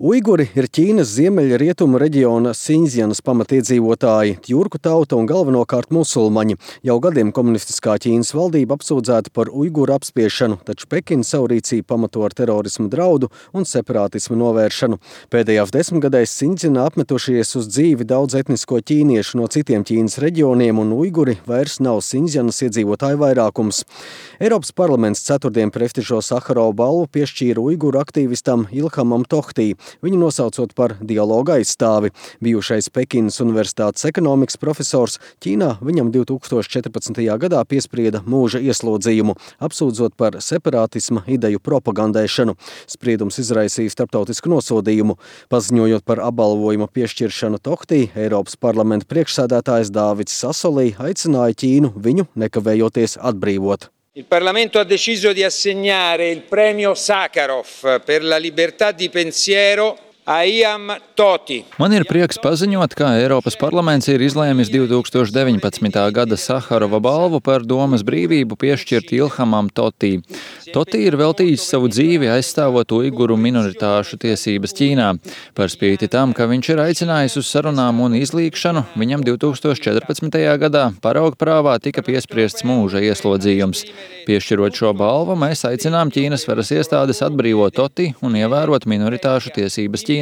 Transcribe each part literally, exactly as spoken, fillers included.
Uiguri ir Ķīnas ziemeļrietumu reģiona Sinzjanas pamatiedzīvotāji, tjurku tauta un galvenokārt musulmaņi. Jau gadiem komunistiskā Ķīnas valdība apsūdzēta par uiguru apspiešanu, taču Pekina savu rīcību pamato ar terorismu draudu un separātismu novēršanu. Pēdējās desmitgadēs Sinzjanā apmetušies uz dzīvi daudz etnisko ķīniešu no citiem Ķīnas reģioniem, un uiguri vairs nav Sinzjanas iedzīvotāju vairākums. Eiropas parlaments ceturtdien prestižo Saharova balvu piešķīra uiguru aktīvistam Ilhamam Tohtī, viņu nosaucot par dialoga aizstāvi. Bijušais Pekinas universitātes ekonomikas profesors Ķīnā viņam divi tūkstoši četrpadsmitajā gadā piesprieda mūža ieslodzījumu, apsūdzot par separātisma ideju propagandēšanu. Spriedums izraisīja starptautisku nosodījumu. Paziņojot par apbalvojuma piešķiršanu Tohtī, Eiropas parlamenta priekšsēdētājs Dāvids Sasolī aicināja Ķīnu viņu nekavējoties atbrīvot. Il Parlamento ha deciso di assegnare il premio Sakharov per la libertà di pensiero a Ilham Tohti. Man ir prieks paziņot, ka Eiropas parlaments ir izlēmis divi tūkstoši deviņpadsmitā gada Saharova balvu par domas brīvību piešķirt Ilhamam Tohtī. Tohti ir veltījis savu dzīvi aizstāvot uiguru minoritāšu tiesības Ķīnā. Par spīti tam, ka viņš ir aicinājis uz sarunām un izlīgšanu, viņam divi tūkstoši četrpadsmitajā gadā paraugprāvā tika piespriests mūža ieslodzījums. Piešķirot šo balvu, mēs aicinām Ķīnas varas iestādes atbrīvot Tohti un ievērot minoritāšu tiesības Ķīnā.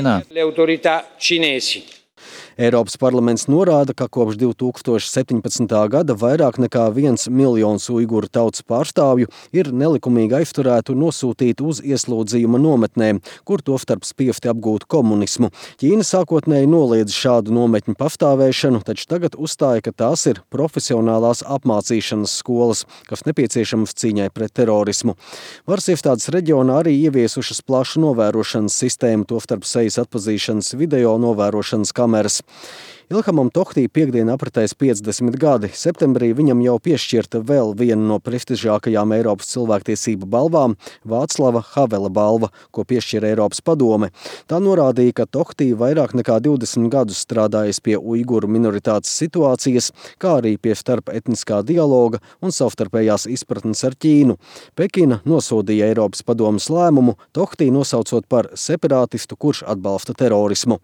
Eiropas parlaments norāda, ka kopš divi tūkstoši septiņpadsmitā gada vairāk nekā viens miljons uiguru tautas pārstāvju ir nelikumīgi aizturēti un nosūtīti uz ieslodzījuma nometnēm, kur tostarp spiesti apgūt komunismu. Ķīna sākotnēji noliedza šādu nometņu pastāvēšanu, taču tagad uzstāja, ka tās ir profesionālās apmācīšanas skolas, kas nepieciešamas cīņai pret terorismu. Varas iestādes reģionā arī ieviesušas plašu novērošanas sistēmu, tostarp sejas atpazīšanas video novērošanas kameras. Ilhamam Tohtī piekdien apritēs piecdesmit gadi. Septembrī viņam jau piešķirta vēl viena no prestižākajām Eiropas cilvēktiesību balvām – Vāclava Havela balva, ko piešķira Eiropas padome. Tā norādīja, ka Tohtī vairāk nekā divdesmit gadus strādājis pie uiguru minoritātes situācijas, kā arī pie starpetniskā dialoga un savstarpējās izpratnes ar Ķīnu. Pekina nosodīja Eiropas padomes lēmumu, Tohtī nosaucot par separātistu, kurš atbalsta terorismu.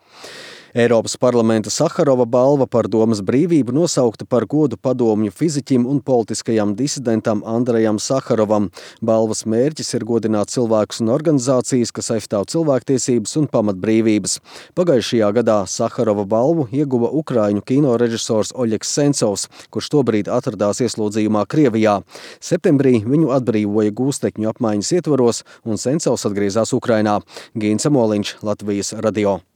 Eiropas parlamenta Saharova balva par domas brīvību nosaukta par godu padomju fiziķim un politiskajam disidentam Andrejam Saharovam. Balvas mērķis ir godināt cilvēkus un organizācijas, kas aizstāv cilvēktiesības un pamatbrīvības. Pagājušajā gadā Saharova balvu ieguva ukraiņu kinorežisors Oļegs Sencovs, kurš tobrīd atradās ieslodzījumā Krievijā. Septembrī viņu atbrīvoja gūstekņu apmaiņas ietvaros, un Sencovs atgriezās Ukrainā. Gīns Amoliņš, Latvijas radio.